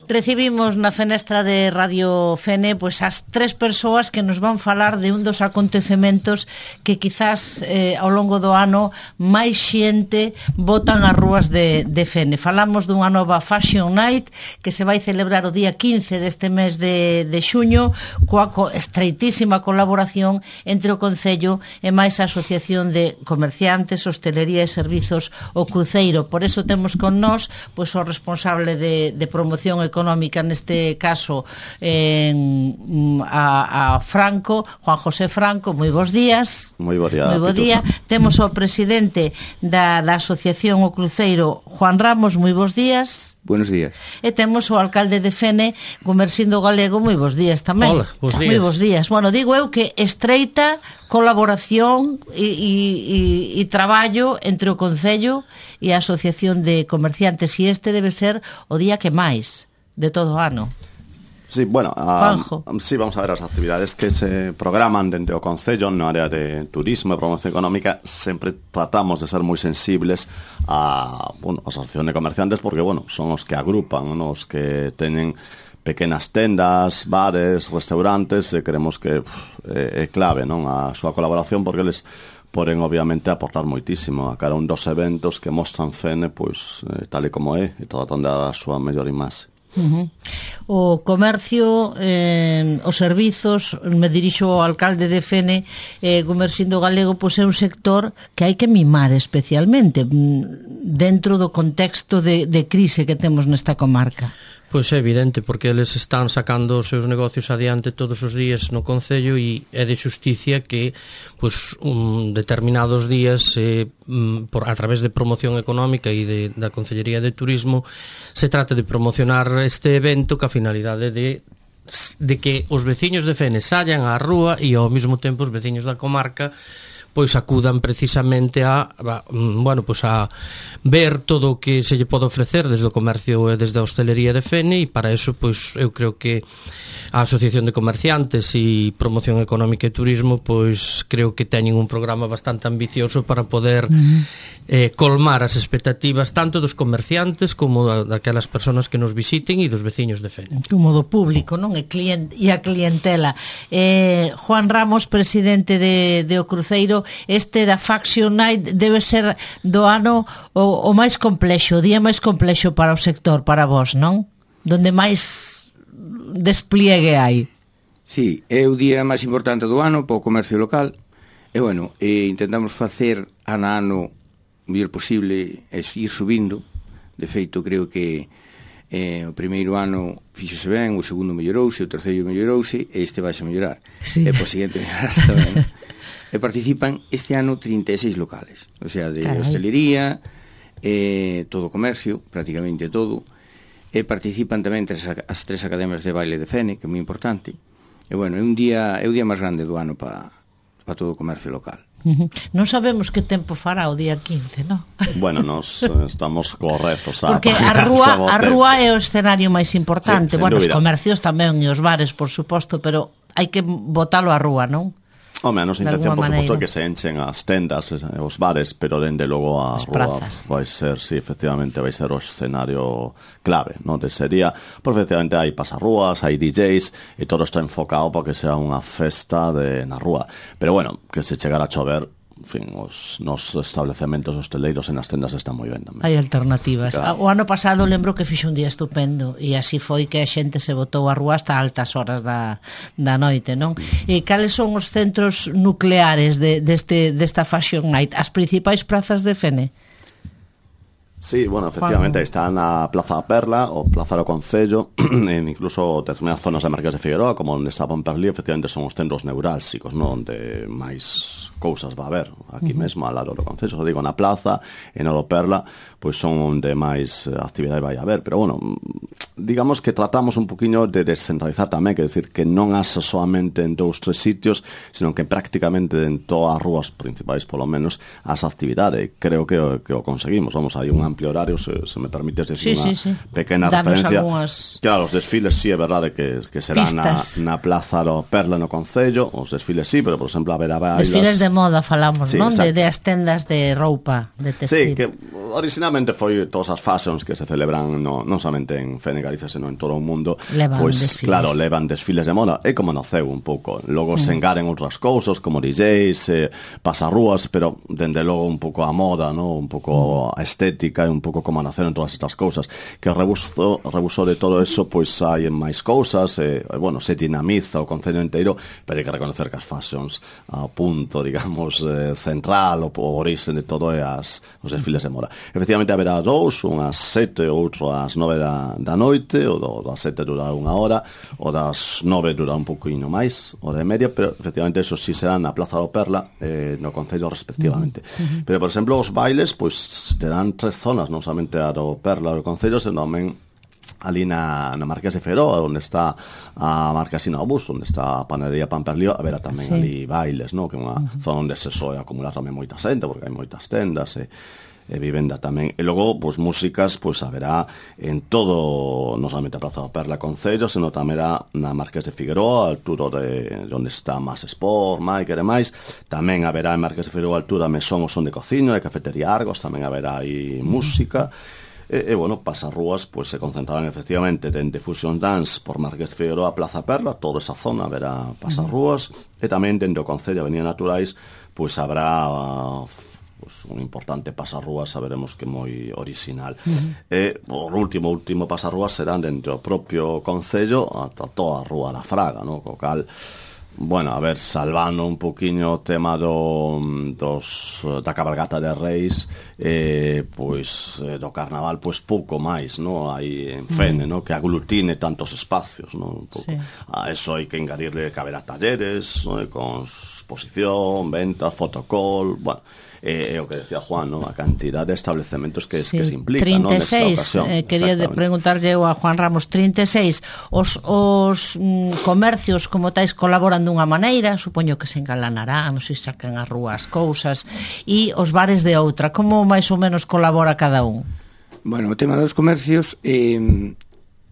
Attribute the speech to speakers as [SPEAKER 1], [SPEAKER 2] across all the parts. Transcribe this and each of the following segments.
[SPEAKER 1] Recibimos na fenestra de Radio Fene pois as tres persoas que nos van falar de un dos acontecementos que quizás ao longo do ano máis xente botan as rúas de Fene. Falamos dunha nova Fashion Night que se vai celebrar o día 15 deste mes de xuño coa estreitísima colaboración entre o Concello e máis a Asociación de Comerciantes, Hostelería e Servizos o Cruceiro. Por eso temos con nós pois o responsable de promoción económica, neste caso a Franco, Juan José Franco. Moi bons días.
[SPEAKER 2] Moi bo día.
[SPEAKER 1] Temos o presidente da Asociación o Cruceiro, Juan Ramos. Moi bons días.
[SPEAKER 3] Buenos días.
[SPEAKER 1] E temos o alcalde de Fene, Gumersindo Galego. Moi bons días tamén.
[SPEAKER 4] Hola, bons días.
[SPEAKER 1] Moi bons días. Bueno, digo eu que estreita colaboración e traballo entre o Concello e a Asociación de Comerciantes, e este debe ser o día que máis de todo o ano.
[SPEAKER 2] Sí, bueno,
[SPEAKER 1] sí,
[SPEAKER 2] vamos a ver as actividades que se programan dentro do Concello no área de turismo e promoción económica. Sempre tratamos de ser moi sensibles a asociación de comerciantes porque, son os que agrupan, os que teñen pequenas tendas, bares, restaurantes, e creemos que é clave, a súa colaboración, porque eles poden obviamente aportar moitísimo a cada un dos eventos que mostran Fene, pois tal e como é, e tratando da súa mellor imaxe.
[SPEAKER 1] O comercio, os servizos, me dirixo ao alcalde de Fene, Gumersindo Galego, pois é un sector que hai que mimar especialmente dentro do contexto de crise que temos nesta comarca.
[SPEAKER 4] Pois é evidente, porque eles están sacando os seus negocios adiante todos os días no Concello, e é de xusticia que determinados días a través de promoción económica e da Concellería de Turismo se trata de promocionar este evento ca finalidade de que os veciños de Fene sallan á rúa e ao mesmo tempo os veciños da comarca pois acudan precisamente a ver todo o que se lle pode ofrecer desde o comercio e desde a hostelería de Fene, e para eso pois eu creo que a Asociación de Comerciantes e Promoción Económica e Turismo pois creo que teñen un programa bastante ambicioso para poder colmar as expectativas tanto dos comerciantes como daquelas persoas que nos visiten e dos veciños de Fene.
[SPEAKER 1] Como do público, non? E a clientela. Juan Ramos, presidente de O Cruceiro, este da Fashion Night debe ser do ano o máis complexo, o día máis complexo para o sector, para vos, non? Donde máis despliegue hai.
[SPEAKER 3] Sí, é o día máis importante do ano para o comercio local. E intentamos facer ano o mellor posible é ir subindo. De feito, creo que o primeiro ano fíxose ben, o segundo mellorouse, o terceiro mellorouse, e este vai a mellorar.
[SPEAKER 1] Sí.
[SPEAKER 3] E po seguinte mellorarse tamén. E participan este ano 36 locales, o sea, de hostelería, todo o comercio, prácticamente todo, e participan tamén as tres academias de baile de Fene, que é moi importante. E é o día máis grande do ano para todo o comercio local.
[SPEAKER 1] Non sabemos que tempo fará o día 15, non?
[SPEAKER 2] Bueno, nos estamos correctos
[SPEAKER 1] porque a rúa é o escenario máis importante. Sí, os comercios tamén e os bares, por suposto, pero hai que botalo á rúa, non?
[SPEAKER 2] A nosa intención, por suposto, é que se enchen as tendas, os bares, pero dende logo a rúa vai ser, sí, efectivamente, vai ser o escenario clave, non? De sería, porque efectivamente hai pasarrúas, hai DJs, e todo está enfocado para que sea unha festa na rúa. Pero, que se chegara a chover, en fin, os nosos establecementos hosteleiros en as tendas están moi ben tamén.
[SPEAKER 1] Hai alternativas.
[SPEAKER 2] Claro.
[SPEAKER 1] O ano pasado lembro que fixe un día estupendo, e así foi que a xente se botou á rúa hasta altas horas da noite, non? E cales son os centros nucleares desta Fashion Night? As principais prazas de Fene?
[SPEAKER 2] Sí, efectivamente, está na Plaza da Perla, o Plaza do Concello, en incluso determinadas zonas de Marqués de Figueroa, como onde está Pomperlí, efectivamente son os centros neurálxicos, non? Onde máis cousas va a haber, aquí mesmo, ao lado do Concello, digo, na Plaza, e no do Perla, pois son onde máis actividade vai a haber, pero digamos que tratamos un poquinho de descentralizar tamén, que decir que non asa solamente en 2-3 sitios, sino que prácticamente en todas as rúas principais, polo menos, as actividades. Creo que o conseguimos. Hai unha amplio horario, se me permites decir unha pequena
[SPEAKER 1] Danos
[SPEAKER 2] referencia.
[SPEAKER 1] Algunhas...
[SPEAKER 2] Claro, os desfiles sí é verdade que será na Plaza do Perla no Concello, os desfiles sí, pero por exemplo haberá bailas...
[SPEAKER 1] Desfiles de moda falamos,
[SPEAKER 2] sí,
[SPEAKER 1] non? De as tendas de roupa, de textil.
[SPEAKER 2] Sí, que originalmente foi todas as fashions que se celebran non somente en Fene Galicia, senón en todo o mundo,
[SPEAKER 1] desfiles.
[SPEAKER 2] Claro, levan desfiles de moda, é como no CEU un pouco. Logo se engaren outras cousas como DJs, pasarrúas, pero dende logo un pouco a moda, ¿no? Un pouco a estética e un pouco como naceron todas estas cousas. Que rebusou de todo eso, pois hai máis cousas, bueno, se dinamiza o concello inteiro, pero hai que reconocer que as fashions a punto, digamos, central, o orixe de todo é os desfiles de moda. Efectivamente haberá dous, unhas 7 e outro ás 9 da noite, o das 7 durará unha hora, o das 9 durará un pouquinho máis, hora e media, pero efectivamente eso sí será na Plaza do Perla, no concello respectivamente. Pero, por exemplo, os bailes, pois terán 3 zonas, non somente a do Perla do concello, senón tamén ali na Marqués de Figueroa, onde está a Marquesina do Bus, onde está a panadería Pamperlío, haberá tamén ali bailes, ¿no? Que é unha zona onde se soe acumular tamén moita xente, porque hai moitas tendas e vivenda tamén. E logo, pois, músicas, pois, haberá en todo, non somente a Plaza do Perla Concello, senón tamén na Marqués de Figueroa, a altura de onde está Más Sport, Maiker e máis. Tamén haberá en Marqués de Figueroa, a altura Mesón o Son de Cociño, e Cafetería Argos, tamén haberá aí música. E bueno, pasarrúas, pois, se concentrarán efectivamente dende Fusion Dance por Marqués de Figueroa a Plaza Perla, toda esa zona haberá pasarrúas, e tamén dende o Concello Avenida Naturais, pois, habrá un importante pasarrúas, saberemos que moi original. E por último pasarrúas serán dentro do propio Concello ata toda a Rúa da Fraga, no? Co cal, bueno, a ver, salvando un poquinho o tema da cabalgata de Reis, pois do carnaval, pois pouco máis, no? Hai en Fene, no? Que aglutine tantos espacios, no? Un pouco. A eso hai que engadirle que haberá talleres, no? Con exposición, ventas, fotocall, bueno, é o que decía Juan, ¿no? A cantidad de estabelecementos que se implica,
[SPEAKER 1] 36,
[SPEAKER 2] ¿no? Nesta ocasión.
[SPEAKER 1] Quería preguntarlle a Juan Ramos, 36, os comercios como tais colaboran dunha maneira, supoño que se engalanarán, non sei se sacan as rúas cousas, e os bares de outra, como máis ou menos colabora cada un?
[SPEAKER 3] Bueno, o tema dos comercios,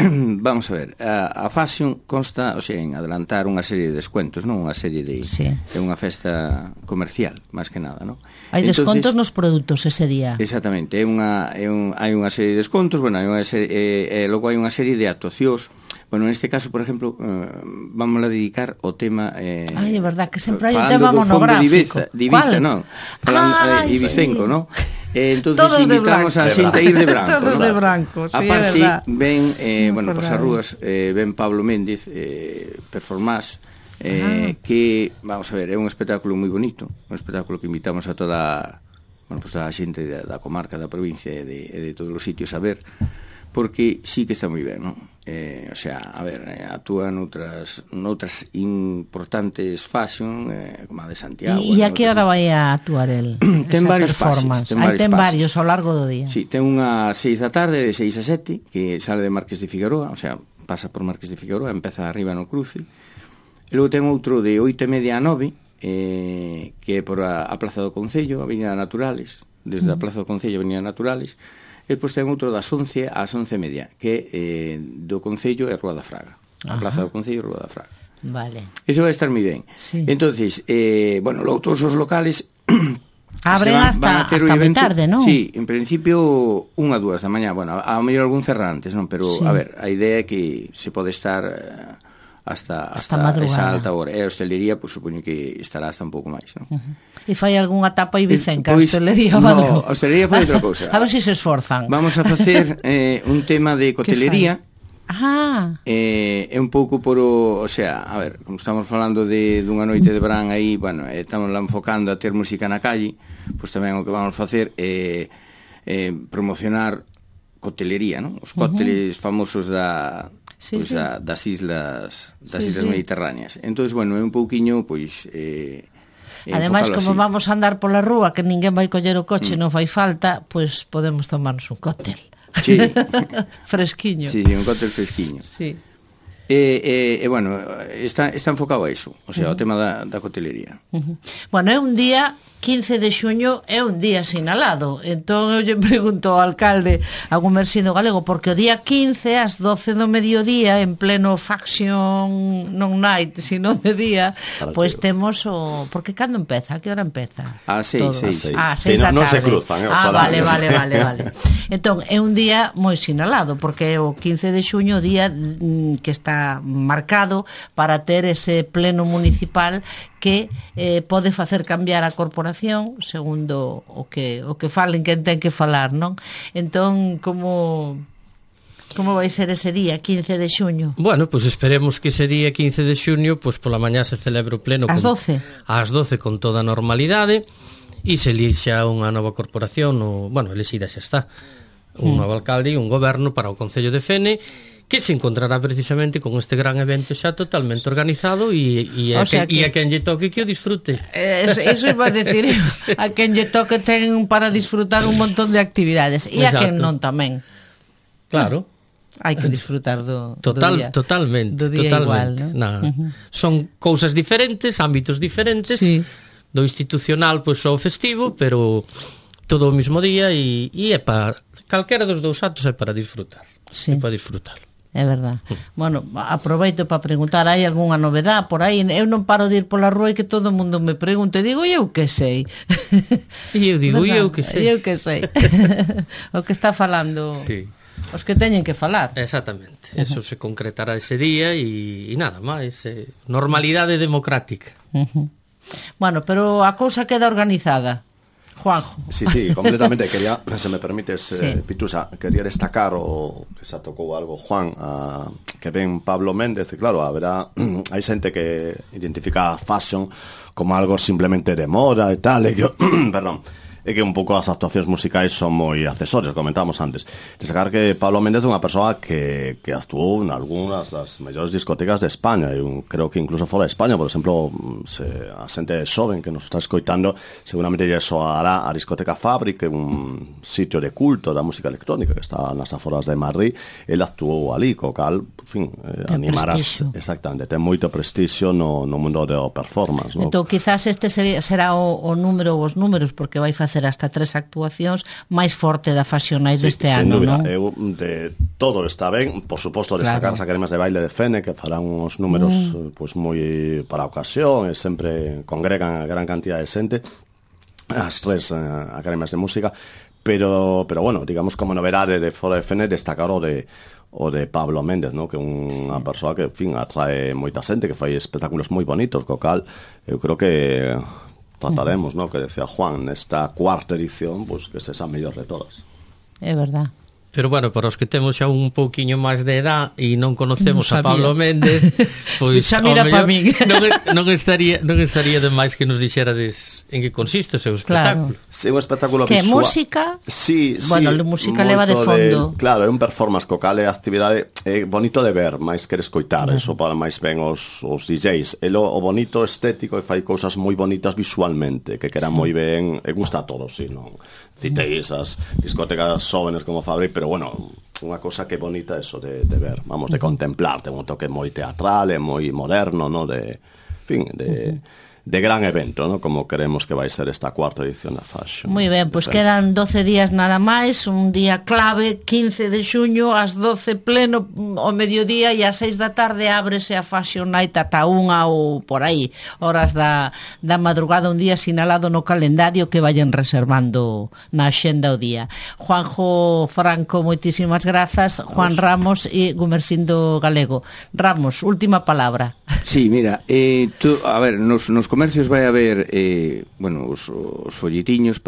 [SPEAKER 3] vamos a ver, a fashion consta, o sea, en adelantar unha serie de descuentos, non? Unha serie de... É unha festa comercial, máis que nada, non?
[SPEAKER 1] Hai descontos nos produtos ese día.
[SPEAKER 3] Exactamente, hai unha serie de descontos, bueno, logo hai unha serie de actuacións. Bueno, neste caso, por exemplo, vamos a dedicar o tema...
[SPEAKER 1] Ai, é verdad, que sempre hai un tema monográfico.
[SPEAKER 3] De Ibiza, non? Ibicenco, non? Entonces invitamos a xente a ir de branco.
[SPEAKER 1] Todos de branco, sí,
[SPEAKER 3] é verdad. Aparte, ven, bueno, pasarrúas, ven Pablo Méndez, Performance, que, vamos a ver, é un espectáculo moi bonito, un espectáculo que invitamos a toda a xente da comarca, da provincia e de todos os sitios a ver, porque sí que está moi ben, non? O sea, a ver, actúa noutras importantes fashion, como a de Santiago.
[SPEAKER 1] E a que hora vai a actuar el?
[SPEAKER 3] Ten varios pases.
[SPEAKER 1] Ten varios ao largo do día.
[SPEAKER 3] Sí, ten unha 6 da tarde, de 6 a 7, que sale de Marqués de Figueroa, o sea, pasa por Marqués de Figueroa, empeza arriba no cruce. E logo ten outro de 8:30 a 9, que é por a Plaza do Concello, Avenida Naturales, desde a Plaza do Concello, Avenida Naturales. E depois ten outro das 11 ás 11:30, que do Concello é Rúa da Fraga. A Plaza do Concello é Rúa da Fraga.
[SPEAKER 1] Vale.
[SPEAKER 3] Eso vai estar moi ben.
[SPEAKER 1] Sí.
[SPEAKER 3] Entonces, bueno, logo todos os locales
[SPEAKER 1] abren hasta moi tarde, non?
[SPEAKER 3] Sí, en principio 1 a 2 da mañá. Bueno, a mellor algún cerrantes, non? Pero, a ver, a idea é que se pode estar hasta esa alta hora. E a hostelería, pois, supoño que estará hasta un pouco máis, non?
[SPEAKER 1] E fai algunha tapa ibicenca, a hostelería ou
[SPEAKER 3] No,
[SPEAKER 1] algo?
[SPEAKER 3] a hostelería foi outra cousa.
[SPEAKER 1] A ver se se esforzan.
[SPEAKER 3] Vamos a facer un tema de cotelería. É un pouco o sea, a ver, como estamos falando dunha noite de verán aí, bueno, estamos lá enfocando a ter música na calle, pois tamén o que vamos a facer é promocionar cotelería, non? Os cócteles famosos das islas mediterráneas. Entonces, bueno, é un pouquiño, pois...
[SPEAKER 1] Ademais, como vamos a andar pola rúa, que ninguén vai coller o coche, non fai falta, pois podemos tomarnos un cóctel.
[SPEAKER 3] Sí.
[SPEAKER 1] Fresquiño.
[SPEAKER 3] Sí, un cóctel fresquiño.
[SPEAKER 1] Sí.
[SPEAKER 3] bueno, está enfocado a iso, o sea, o tema da cotelería.
[SPEAKER 1] Bueno, é un día 15 de xuño é un día sinalado. Entón eu lle pregunto ao alcalde a Gumersindo Galego, porque o día 15 ás 12 do mediodía, en pleno faction non night, sino de día, pois temos o... Porque cando empeza? A que hora empeza?
[SPEAKER 3] A 6
[SPEAKER 1] da
[SPEAKER 2] tarde. Non se cruzan,
[SPEAKER 1] vale. Entón, é un día moi sinalado, porque é o 15 de xuño o día que está marcado para ter ese pleno municipal que pode facer cambiar a corporación segundo o que falen quen ten que falar, non? Entón, como vai ser ese día, 15 de xuño?
[SPEAKER 4] Bueno, pois esperemos que ese día 15 de xuño, pois pola mañá se celebre o pleno
[SPEAKER 1] ás 12.
[SPEAKER 4] Ás 12 con toda a normalidade e se elixa unha nova corporación, elixida xa está, un novo alcalde e un goberno para o Concello de Fene, que se encontrará precisamente con este gran evento xa totalmente organizado e a quen lle toque que o disfrute.
[SPEAKER 1] Eso iba a decir, a quen lle toque ten para disfrutar un montón de actividades e a quen non tamén.
[SPEAKER 4] Claro.
[SPEAKER 1] Hai que disfrutar do día.
[SPEAKER 4] Totalmente.
[SPEAKER 1] Do día igual, ¿no?
[SPEAKER 4] Son cousas diferentes, ámbitos diferentes, sí. Do institucional pois o festivo, pero todo o mismo día e é para calquera dos dous actos é para disfrutar.
[SPEAKER 1] Sí.
[SPEAKER 4] É para disfrutar.
[SPEAKER 1] É verdad. Bueno, aproveito para preguntar, hai algunha novedade por aí? Eu non paro de ir pola rúa e que todo o mundo me pregunte, digo, eu que sei.
[SPEAKER 4] E eu digo, eu que sei.
[SPEAKER 1] Eu que sei. O que está falando os que teñen que falar.
[SPEAKER 4] Exactamente. Eso se concretará ese día e nada máis. Normalidade democrática.
[SPEAKER 1] Bueno, pero a cousa queda organizada. Juanjo.
[SPEAKER 2] Sí, completamente. Quería, se me permites, Pitusa, quería destacar o que se tocou algo, Juan, que ven Pablo Méndez, e claro, hai xente que identifica a fashion como algo simplemente de moda e tal, e que, perdón, é que un pouco as actuacións musicais son moi accesorios, comentábamos antes. Destacar que Pablo Méndez é unha persoa que actuou en algunhas das mellores discotecas de España, e creo que incluso fora de España, por exemplo, a xente xoven que nos está escoitando seguramente lle soará a discoteca Fábrica, un sitio de culto da música electrónica que está nas aforas de Madrid. Ele actuou ali, co cal, en fin, animarás, exactamente, ten moito prestixio no mundo do performance, ¿no?
[SPEAKER 1] Entón, quizás este será o número, os números, porque vai facer hasta 3 actuacións máis forte da Fashion Night deste ano, non?
[SPEAKER 2] Eu, de todo está ben, por suposto destacar as academias de baile de Fene, que farán uns números pois moi para a ocasión, e sempre congregan a gran cantidad de xente, as 3 academias de música, pero bueno, digamos como novedade de fora de Fene, destacar o de Pablo Méndez, ¿no? Que é unha persoa que, en fin, atrae moita xente, que fai espectáculos moi bonitos, co cal eu creo que trataremos, ¿no? Que decía Juan, nesta cuarta edición, pues que sexa a mellor de todas.
[SPEAKER 1] É verdad.
[SPEAKER 4] Pero bueno, para os que temos xa un pouquiño máis de edad e non conocemos a Pablo Méndez, pois
[SPEAKER 1] xa mira para min.
[SPEAKER 4] non estaría de máis que nos dixerades en que consiste o seu espectáculo.
[SPEAKER 2] Claro. Sí, un espectáculo
[SPEAKER 1] que
[SPEAKER 2] visual.
[SPEAKER 1] Música?
[SPEAKER 2] Sí,
[SPEAKER 1] bueno, a música leva de fondo.
[SPEAKER 2] Claro, é un performance co cal é actividade bonito de ver, máis que de escoitar, eso para máis ben os DJs. O bonito estético e fai cousas moi bonitas visualmente, que quedan moi ben, e gusta a todos, si non citei esas discotecas jóvenes como Fabri, pero bueno, unha cosa que bonita eso de ver, vamos, de contemplar, ten un toque moi teatral e moi moderno, ¿no? De gran evento, ¿no? Como queremos que vai ser esta cuarta edición da Fashion.
[SPEAKER 1] Moi ben, pois quedan 12 días nada máis, un día clave, 15 de xuño, ás 12 pleno ao mediodía, e ás 6 da tarde ábrese a Fashion Night ata 1 ou por aí, horas da madrugada, un día sinalado no calendario que vayan reservando na axenda o día. Juanjo Franco, moitísimas grazas, Juan Ramos e Gumersindo Galego. Ramos, última palabra.
[SPEAKER 3] Sí, mira, a ver, nos comercios vai haber os folletiños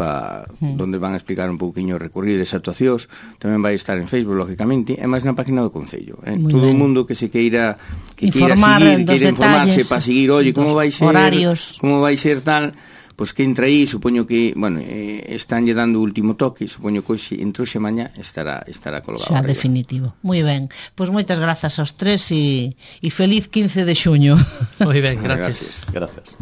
[SPEAKER 3] donde van a explicar un pouquiño o recorrido das actuacións. Tamén vai estar en Facebook, lógicamente, e máis na página do Concello. Todo o mundo que se queira seguir, queira informarse para seguir, oye, como vai ser, horarios, como vai ser tal, pois que entra aí, supoño que, bueno, estánlle dando o último toque, supoño que hoxe, entre hoxe e mañá estará colgado.
[SPEAKER 1] Xa, definitivo. Moi ben. Pois moitas grazas aos tres e feliz 15 de xuño.
[SPEAKER 4] Moi ben, gracias.
[SPEAKER 2] Gracias.